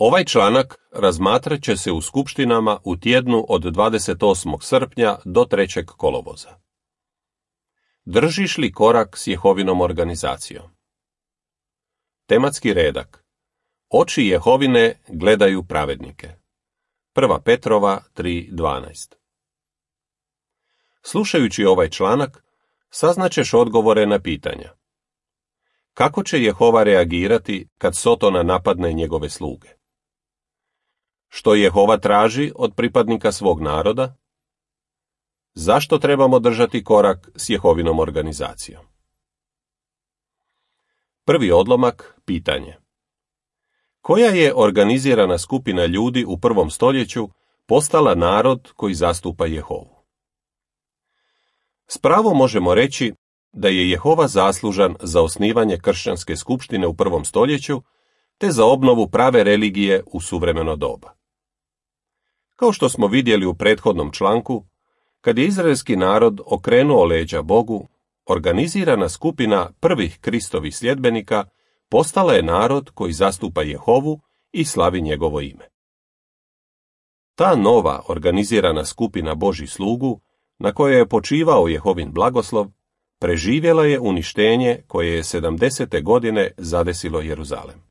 Ovaj članak razmatrat će se u skupštinama u tjednu od 28. srpnja do 3. kolovoza. Držiš li korak s Jehovinom organizacijom? Tematski redak. Oči Jehovine gledaju pravednike. 1. Petrova 3.12. Slušajući ovaj članak, saznaćeš odgovore na pitanja. Kako će Jehova reagirati kad Sotona napadne njegove sluge? Što Jehova traži od pripadnika svog naroda? Zašto trebamo držati korak s Jehovinom organizacijom? Prvi odlomak, pitanje. Koja je organizirana skupina ljudi u 1. stoljeću postala narod koji zastupa Jehovu? S pravom možemo reći da je Jehova zaslužan za osnivanje kršćanske skupštine u 1. stoljeću te za obnovu prave religije u suvremeno doba. Kao što smo vidjeli u prethodnom članku, kad je izraelski narod okrenuo leđa Bogu, organizirana skupina prvih Kristovih sljedbenika postala je narod koji zastupa Jehovu i slavi njegovo ime. Ta nova organizirana skupina Božjih slugu, na kojoj je počivao Jehovin blagoslov, preživjela je uništenje koje je 70. godine zadesilo Jeruzalem.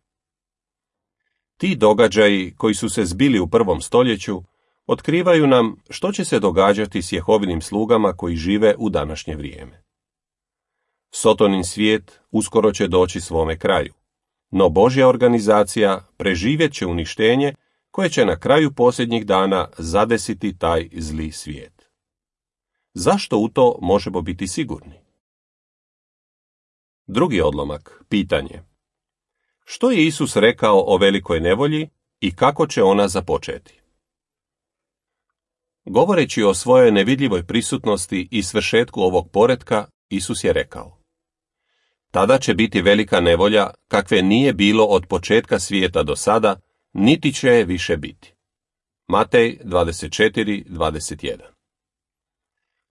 Ti događaji koji su se zbili u 1. stoljeću otkrivaju nam što će se događati s Jehovinim slugama koji žive u današnje vrijeme. Sotonin svijet uskoro će doći svome kraju, no Božja organizacija preživjet će uništenje koje će na kraju posljednjih dana zadesiti taj zli svijet. Zašto u to možemo biti sigurni? Drugi odlomak, pitanje. Što je Isus rekao o velikoj nevolji i kako će ona započeti? Govoreći o svojoj nevidljivoj prisutnosti i svršetku ovog poretka, Isus je rekao: Tada će biti velika nevolja kakve nije bilo od početka svijeta do sada, niti će je više biti. Matej 24:21.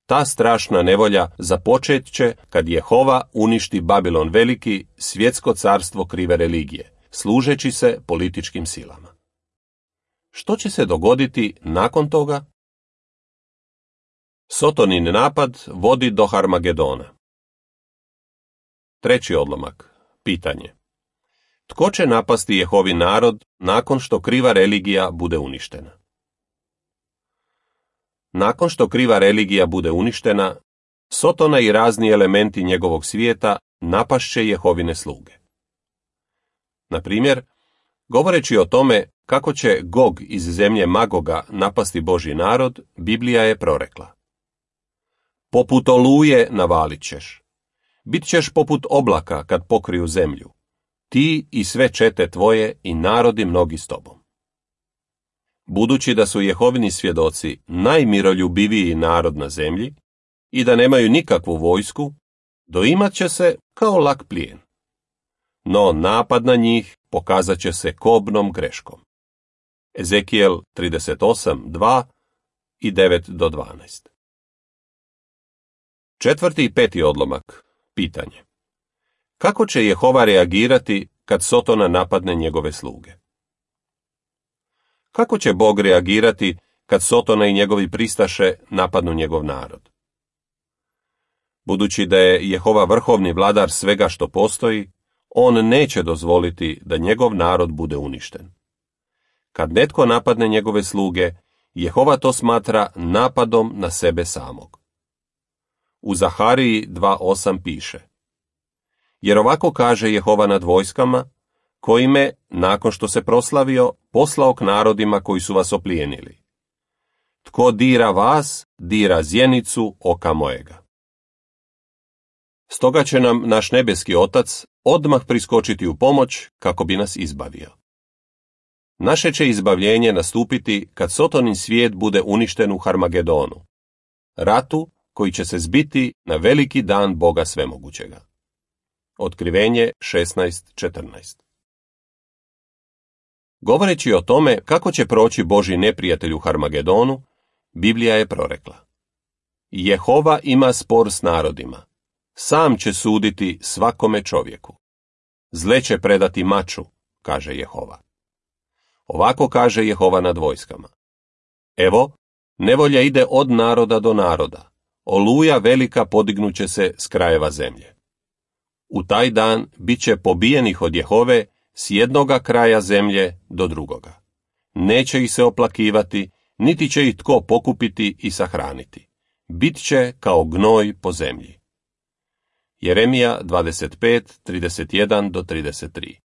Ta strašna nevolja započet će kad Jehova uništi Babilon veliki, svjetsko carstvo krive religije, služeći se političkim silama. Što će se dogoditi nakon toga? Sotonin napad vodi do Harmagedona. Treći odlomak, pitanje. Tko će napasti Jehovin narod nakon što kriva religija bude uništena? Nakon što kriva religija bude uništena, Sotona i razni elementi njegovog svijeta napašće Jehovine sluge. Na primjer, govoreći o tome kako će Gog iz zemlje Magoga napasti Božji narod, Biblija je prorekla: Poput oluje navalit ćeš. Bit ćeš poput oblaka kad pokriju zemlju. Ti i sve čete tvoje i narodi mnogi s tobom. Budući da su Jehovini svjedoci najmiroljubiviji narod na zemlji i da nemaju nikakvu vojsku, doimat će se kao lak plijen. No napad na njih pokazat će se kobnom greškom. Ezekijel 38:2 i 9-12. Četvrti i peti odlomak, pitanje. Kako će Jehova reagirati kad Sotona napadne njegove sluge? Kako će Bog reagirati kad Sotona i njegovi pristaše napadnu njegov narod? Budući da je Jehova vrhovni vladar svega što postoji, on neće dozvoliti da njegov narod bude uništen. Kad netko napadne njegove sluge, Jehova to smatra napadom na sebe samog. U Zahariji 2:8 piše: Jer ovako kaže Jehova nad vojskama, koji me, nakon što se proslavio, poslao k narodima koji su vas oplijenili. Tko dira vas, dira zjenicu oka mojega. Stoga će nam naš nebeski Otac odmah priskočiti u pomoć kako bi nas izbavio. Naše će izbavljenje nastupiti kad Sotonin svijet bude uništen u Harmagedonu, ratu koji će se zbiti na veliki dan Boga svemogućega. Otkrivenje 16:14. Govoreći o tome kako će proći Božji neprijatelj u Harmagedonu, Biblija je prorekla: Jehova ima spor s narodima, sam će suditi svakome čovjeku. Zle će predati maču, kaže Jehova. Ovako kaže Jehova nad vojskama. Evo, nevolja ide od naroda do naroda, oluja velika podignuće se s krajeva zemlje. U taj dan bit će pobijenih od Jehove s jednoga kraja zemlje do drugoga. Neće ih se oplakivati, niti će ih tko pokupiti i sahraniti. Bit će kao gnoj po zemlji. Jeremija 25:31-33.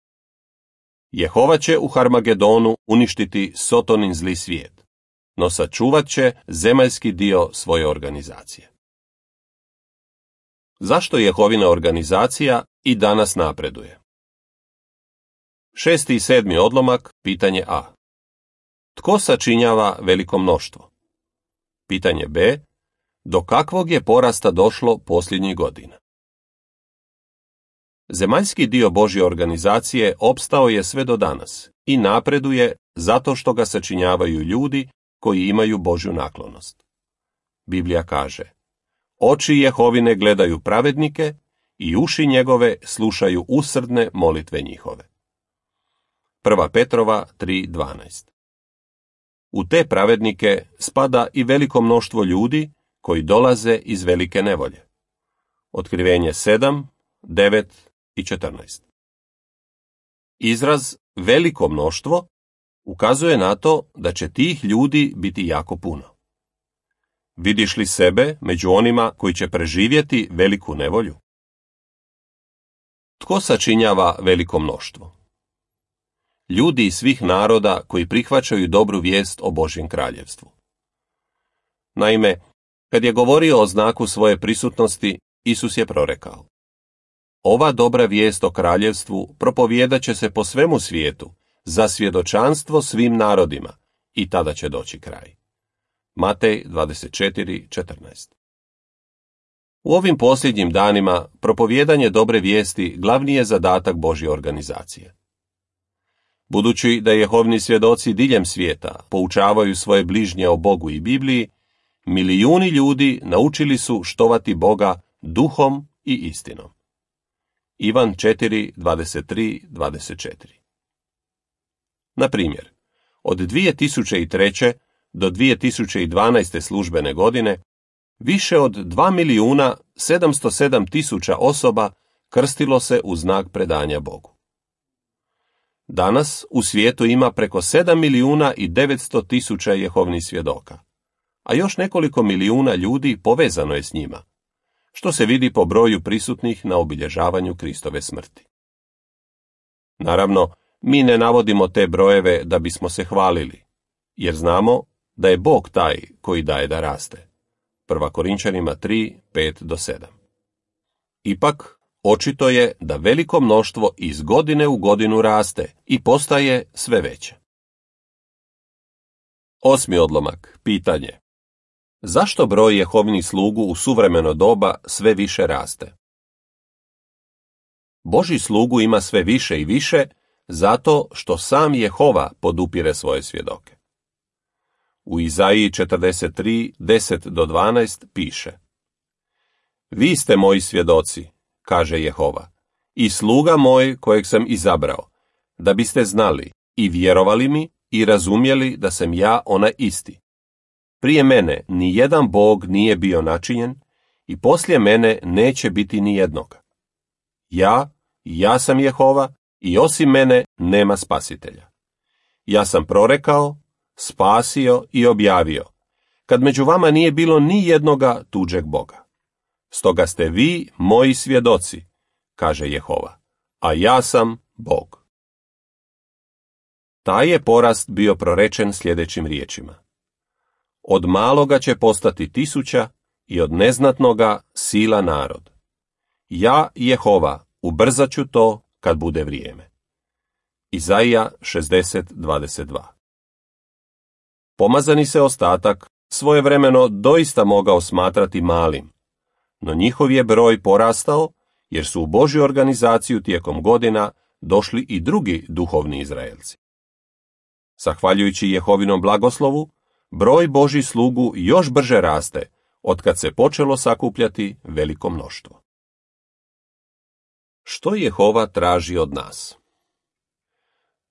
Jehova će u Harmagedonu uništiti Sotonin zli svijet, no sačuvat će zemaljski dio svoje organizacije. Zašto Jehovina organizacija i danas napreduje? 6. i 7. odlomak, pitanje A. Tko sačinjava veliko mnoštvo? Pitanje B. Do kakvog je porasta došlo posljednjih godina? Zemaljski dio Božje organizacije opstao je sve do danas i napreduje zato što ga sačinjavaju ljudi koji imaju Božju naklonost. Biblija kaže: oči Jehovine gledaju pravednike i uši njegove slušaju usrdne molitve njihove. 1. Petrova 3:12. U te pravednike spada i veliko mnoštvo ljudi koji dolaze iz velike nevolje. Otkrivenje 7, 9 i 14. Izraz veliko mnoštvo ukazuje na to da će tih ljudi biti jako puno. Vidiš li sebe među onima koji će preživjeti veliku nevolju? Tko sačinjava veliko mnoštvo? Ljudi iz svih naroda koji prihvaćaju dobru vijest o Božjem kraljevstvu. Naime, kad je govorio o znaku svoje prisutnosti, Isus je prorekao: ova dobra vijest o kraljevstvu propovjedat će se po svemu svijetu za svjedočanstvo svim narodima i tada će doći kraj. Matej 24:14. U ovim posljednjim danima propovjedanje dobre vijesti glavni je zadatak Božje organizacije. Budući da Jehovini svjedoci diljem svijeta poučavaju svoje bližnje o Bogu i Bibliji, milijuni ljudi naučili su štovati Boga duhom i istinom. Ivan 4:23-24. Na primjer, od 2003. do 2012. službene godine više od 2.707.000 osoba krstilo se u znak predanja Bogu. Danas u svijetu ima preko 7.900.000 Jehovnih svjedoka, a još nekoliko milijuna ljudi povezano je s njima, što se vidi po broju prisutnih na obilježavanju Kristove smrti. Naravno, mi ne navodimo te brojeve da bismo se hvalili, jer znamo da je Bog taj koji daje da raste. 1. Korinčanima 3:5-7. Ipak, očito je da veliko mnoštvo iz godine u godinu raste i postaje sve veće. 8. odlomak, pitanje. Zašto broj Jehovnih slugu u suvremeno doba sve više raste? Božji slugu ima sve više i više zato što sam Jehova podupire svoje svjedoke. U Izaiji 43:10-12 piše: vi ste moji svjedoci, kaže Jehova, i sluga moj kojeg sam izabrao, da biste znali i vjerovali mi i razumjeli da sam ja onaj isti. Prije mene ni jedan Bog nije bio načinjen i poslije mene neće biti ni jednoga. Ja sam Jehova i osim mene nema spasitelja. Ja sam prorekao, spasio i objavio, kad među vama nije bilo ni jednoga tuđeg Boga. Stoga ste vi moji svjedoci, kaže Jehova, a ja sam Bog. Taj je porast bio prorečen sljedećim riječima: od maloga će postati 1000 i od neznatnoga sila narod. Ja, Jehova, ubrzat ću to kad bude vrijeme. Izaija 60:22. Pomazani se ostatak svojevremeno doista mogao smatrati malim, no njihov je broj porastao jer su u Božju organizaciju tijekom godina došli i drugi duhovni Izraelci. Zahvaljujući Jehovinom blagoslovu, broj Božjih slugu još brže raste otkad se počelo sakupljati veliko mnoštvo. Što Jehova traži od nas?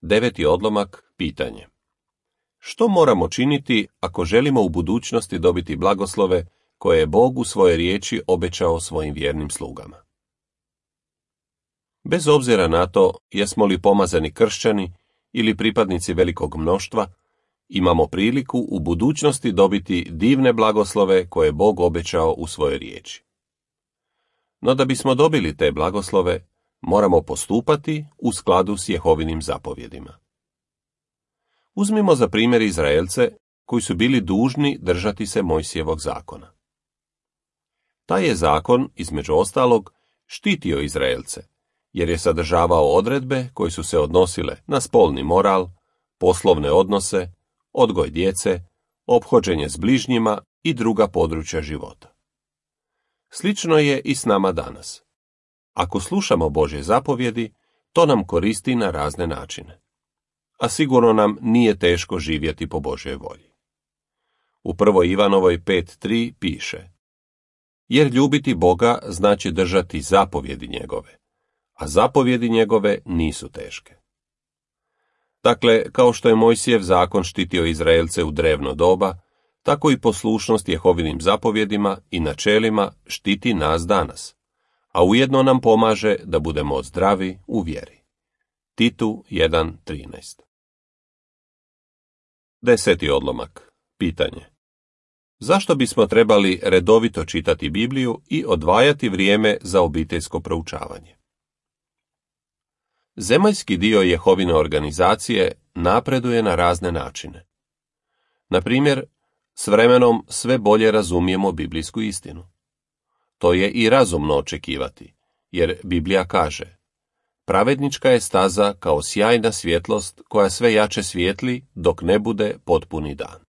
9. odlomak, pitanje. Što moramo činiti ako želimo u budućnosti dobiti blagoslove koje je Bog u svojoj riječi obećao svojim vjernim slugama? Bez obzira na to jesmo li pomazani kršćani ili pripadnici velikog mnoštva, imamo priliku u budućnosti dobiti divne blagoslove koje je Bog obećao u svojoj riječi. No da bismo dobili te blagoslove, moramo postupati u skladu s Jehovinim zapovjedima. Uzmimo za primjer Izraelce koji su bili dužni držati se Mojsijevog zakona. Taj je zakon, između ostalog, štitio Izraelce, jer je sadržavao odredbe koje su se odnosile na spolni moral, poslovne odnose, odgoj djece, ophođenje s bližnjima i druga područja života. Slično je i s nama danas. Ako slušamo Božje zapovjedi, to nam koristi na razne načine. A sigurno nam nije teško živjeti po Božjoj volji. U 1. Ivanovoj 5.3 piše: jer ljubiti Boga znači držati zapovjedi njegove, a zapovjedi njegove nisu teške. Dakle, kao što je Mojsijev zakon štitio Izraelce u drevno doba, tako i poslušnost Jehovinim zapovjedima i načelima štiti nas danas, a ujedno nam pomaže da budemo zdravi u vjeri. Titu 1.13. 10. odlomak, pitanje. Zašto bismo trebali redovito čitati Bibliju i odvajati vrijeme za obiteljsko proučavanje? Zemaljski dio Jehovine organizacije napreduje na razne načine. Na primjer, s vremenom sve bolje razumijemo biblijsku istinu. To je i razumno očekivati, jer Biblija kaže: pravednička je staza kao sjajna svjetlost koja sve jače svijetli dok ne bude potpuni dan.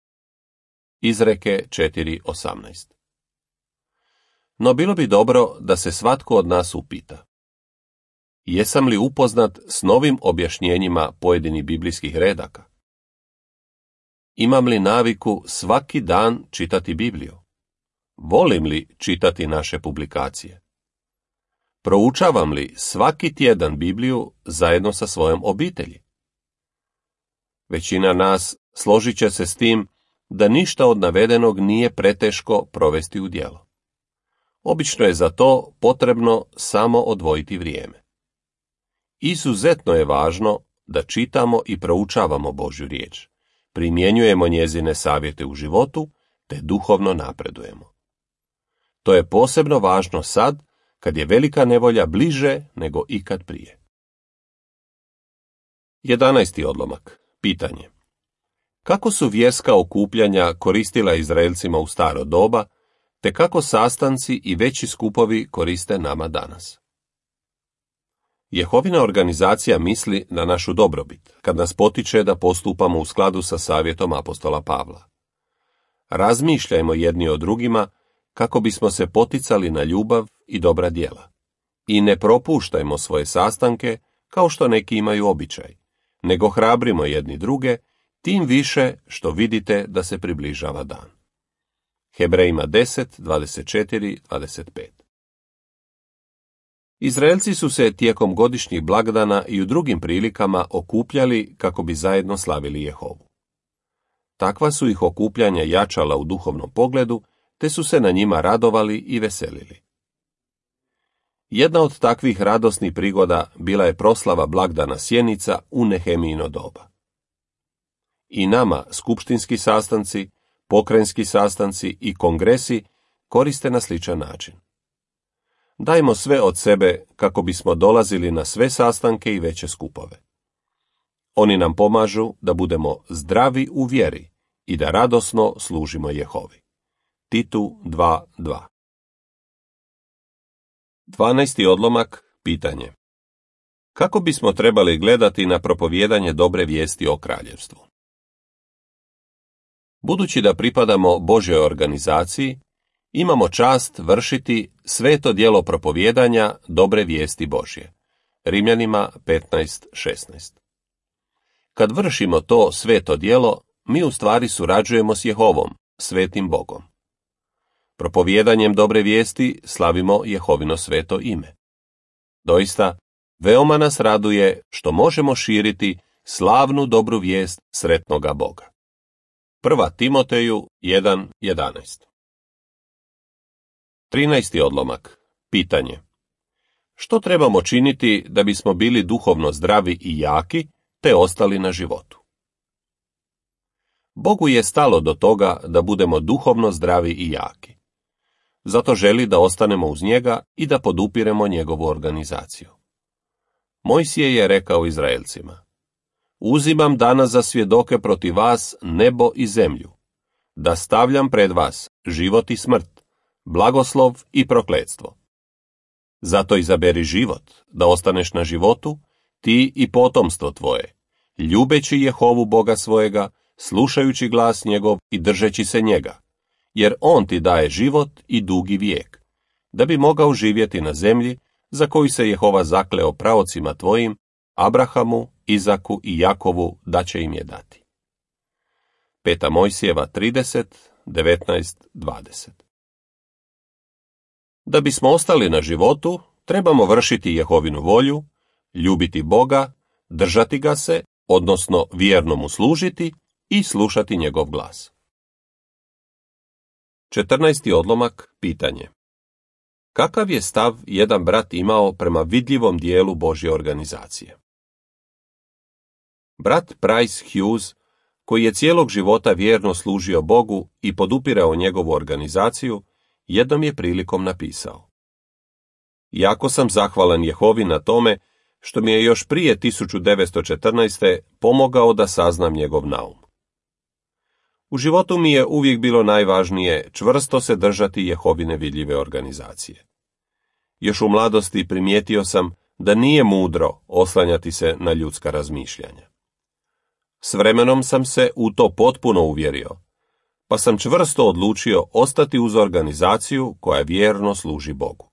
Izreke 4.18. No bilo bi dobro da se svatko od nas upita: jesam li upoznat s novim objašnjenjima pojedinih biblijskih redaka? Imam li naviku svaki dan čitati Bibliju? Volim li čitati naše publikacije? Proučavam li svaki tjedan Bibliju zajedno sa svojom obitelji? Većina nas složit će se s tim da ništa od navedenog nije preteško provesti u djelo. Obično je za to potrebno samo odvojiti vrijeme. Izuzetno je važno da čitamo i proučavamo Božju riječ, primjenjujemo njezine savjete u životu, te duhovno napredujemo. To je posebno važno sad, kad je velika nevolja bliže nego ikad prije. 11. odlomak, pitanje. Kako su vjerska okupljanja koristila Izraelcima u staro doba, te kako sastanci i veći skupovi koriste nama danas? Jehovina organizacija misli na našu dobrobit, kad nas potiče da postupamo u skladu sa savjetom apostola Pavla. Razmišljajmo jedni o drugima kako bismo se poticali na ljubav i dobra djela. I ne propuštajmo svoje sastanke kao što neki imaju običaj, nego hrabrimo jedni druge, tim više što vidite da se približava dan. Hebrejima 10.24-25. Izraelci su se tijekom godišnjih blagdana i u drugim prilikama okupljali kako bi zajedno slavili Jehovu. Takva su ih okupljanja jačala u duhovnom pogledu, te su se na njima radovali i veselili. Jedna od takvih radosnih prigoda bila je proslava blagdana Sjenica u Nehemijino doba. I nama skupštinski sastanci, pokrajinski sastanci i kongresi koriste na sličan način. Dajmo sve od sebe kako bismo dolazili na sve sastanke i veće skupove. Oni nam pomažu da budemo zdravi u vjeri i da radosno služimo Jehovi. Titu 2.2. 12. odlomak, pitanje. Kako bismo trebali gledati na propovijedanje dobre vijesti o kraljevstvu? Budući da pripadamo Božjoj organizaciji, imamo čast vršiti sveto djelo propovijedanja dobre vijesti Božje. Rimljanima 15.16. Kad vršimo to sveto djelo, mi u stvari surađujemo s Jehovom, svetim Bogom. Propovijedanjem dobre vijesti slavimo Jehovino sveto ime. Doista, veoma nas raduje što možemo širiti slavnu dobru vijest sretnoga Boga. 1. Timoteju 1:11. 13. odlomak. Pitanje. Što trebamo činiti da bismo bili duhovno zdravi i jaki, te ostali na životu? Bogu je stalo do toga da budemo duhovno zdravi i jaki. Zato želi da ostanemo uz njega i da podupiremo njegovu organizaciju. Mojsije je rekao Izraelcima: Uzimam danas za svjedoke protiv vas nebo i zemlju, da stavljam pred vas život i smrt, blagoslov i prokletstvo. Zato izaberi život, da ostaneš na životu, ti i potomstvo tvoje, ljubeći Jehovu Boga svojega, slušajući glas njegov i držeći se njega, jer on ti daje život i dugi vijek, da bi mogao živjeti na zemlji za koju se Jehova zakleo praocima tvojim, Abrahamu, Izaku i Jakovu, da će im je dati. 5. Mojsijeva 30, 19, 20. Da bismo ostali na životu, trebamo vršiti Jehovinu volju, ljubiti Boga, držati ga se, odnosno vjerno mu služiti i slušati njegov glas. 14. odlomak. Pitanje. Kakav je stav jedan brat imao prema vidljivom dijelu Božje organizacije? Brat Price Hughes, koji je cijelog života vjerno služio Bogu i podupirao njegovu organizaciju, jednom je prilikom napisao: Jako sam zahvalan Jehovi na tome što mi je još prije 1914. pomogao da saznam njegov naum. U životu mi je uvijek bilo najvažnije čvrsto se držati Jehovine vidljive organizacije. Još u mladosti primijetio sam da nije mudro oslanjati se na ljudska razmišljanja. S vremenom sam se u to potpuno uvjerio, pa sam čvrsto odlučio ostati uz organizaciju koja vjerno služi Bogu.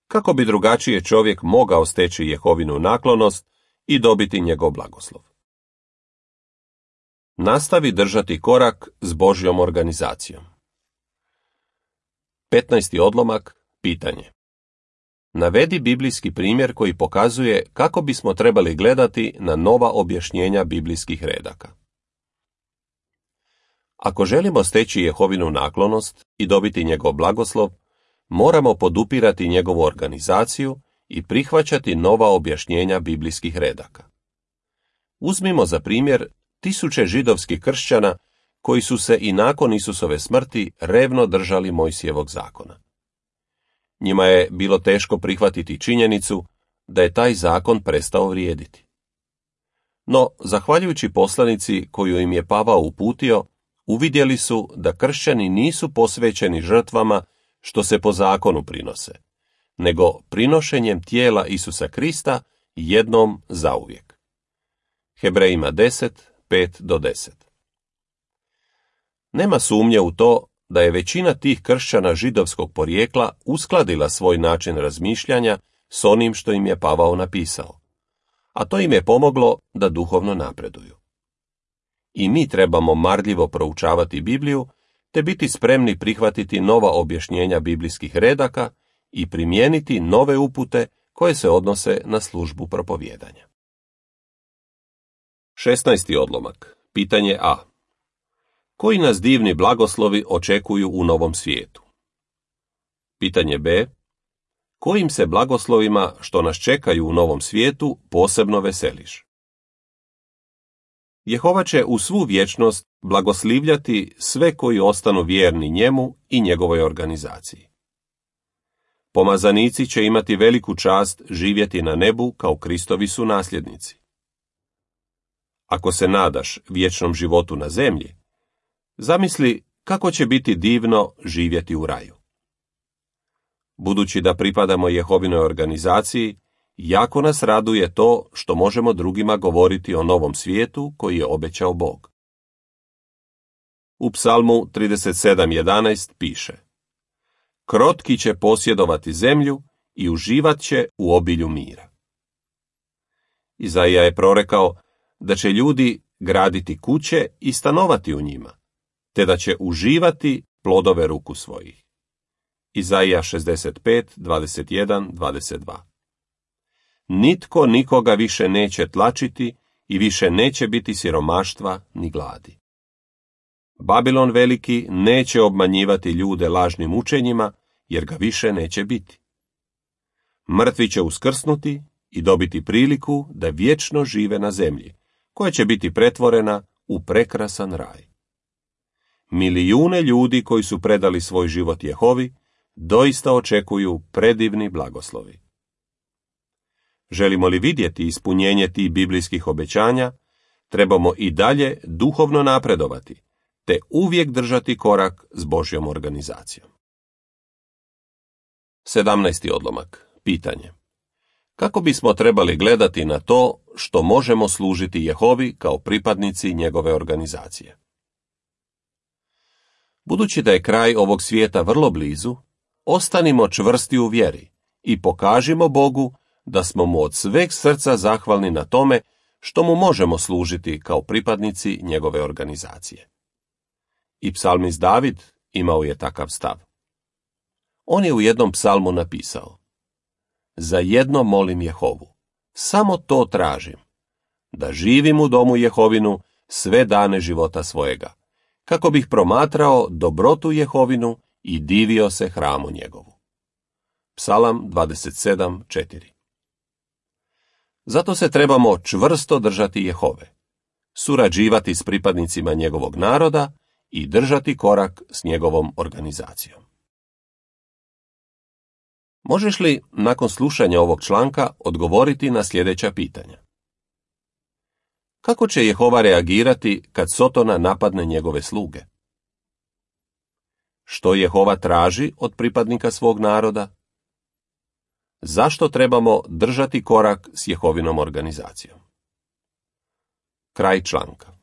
Kako bi drugačije čovjek mogao steći Jehovinu naklonost i dobiti njegov blagoslov? Nastavi držati korak s Božjom organizacijom. 15. odlomak. Pitanje. Navedi biblijski primjer koji pokazuje kako bismo trebali gledati na nova objašnjenja biblijskih redaka. Ako želimo steći Jehovinu naklonost i dobiti njegov blagoslov, moramo podupirati njegovu organizaciju i prihvaćati nova objašnjenja biblijskih redaka. Uzmimo za primjer tisuće židovskih kršćana koji su se i nakon Isusove smrti revno držali Mojsijevog zakona. Njima je bilo teško prihvatiti činjenicu da je taj zakon prestao vrijediti. No, zahvaljujući poslanici koju im je Pavao uputio, uvidjeli su da kršćani nisu posvećeni žrtvama što se po zakonu prinose, nego prinošenjem tijela Isusa Krista jednom zauvijek. Hebrejima 10, 5-10. Nema sumnje u to da je većina tih kršćana židovskog porijekla uskladila svoj način razmišljanja s onim što im je Pavao napisao, a to im je pomoglo da duhovno napreduju. I mi trebamo marljivo proučavati Bibliju, te biti spremni prihvatiti nova objašnjenja biblijskih redaka i primijeniti nove upute koje se odnose na službu propovijedanja. 16. odlomak. Pitanje A. Koji nas divni blagoslovi očekuju u novom svijetu? Pitanje B. Kojim se blagoslovima što nas čekaju u novom svijetu posebno veseliš? Jehova će u svu vječnost blagoslivljati sve koji ostanu vjerni njemu i njegovoj organizaciji. Pomazanici će imati veliku čast živjeti na nebu kao Kristovi su nasljednici. Ako se nadaš vječnom životu na zemlji, zamisli kako će biti divno živjeti u raju. Budući da pripadamo Jehovinoj organizaciji, jako nas raduje to što možemo drugima govoriti o novom svijetu koji je obećao Bog. U Psalmu 37:11 piše: Krotki će posjedovati zemlju i uživat će u obilju mira. Izaija je prorekao da će ljudi graditi kuće i stanovati u njima, te da će uživati plodove ruku svojih. Izaija 65:21-22. Nitko nikoga više neće tlačiti i više neće biti siromaštva ni gladi. Babilon veliki neće obmanjivati ljude lažnim učenjima, jer ga više neće biti. Mrtvi će uskrsnuti i dobiti priliku da vječno žive na zemlji, koja će biti pretvorena u prekrasan raj. Milijune ljudi koji su predali svoj život Jehovi doista očekuju predivni blagoslovi. Želimo li vidjeti ispunjenje tih biblijskih obećanja, trebamo i dalje duhovno napredovati, te uvijek držati korak s Božjom organizacijom. 17. odlomak. Pitanje. Kako bismo trebali gledati na to što možemo služiti Jehovi kao pripadnici njegove organizacije? Budući da je kraj ovog svijeta vrlo blizu, ostanimo čvrsti u vjeri i pokažimo Bogu da smo mu od sveg srca zahvalni na tome što mu možemo služiti kao pripadnici njegove organizacije. I psalmist David imao je takav stav. On je u jednom psalmu napisao: Za jedno molim Jehovu, samo to tražim, da živim u domu Jehovinu sve dane života svojega, kako bih promatrao dobrotu Jehovinu i divio se hramu njegovu. Psalam 27:4. Zato se trebamo čvrsto držati Jehove, surađivati s pripadnicima njegovog naroda i držati korak s njegovom organizacijom. Možeš li, nakon slušanja ovog članka, odgovoriti na sljedeća pitanja? Kako će Jehova reagirati kad Sotona napadne njegove sluge? Što Jehova traži od pripadnika svog naroda? Zašto trebamo držati korak s Jehovinom organizacijom? Kraj članka.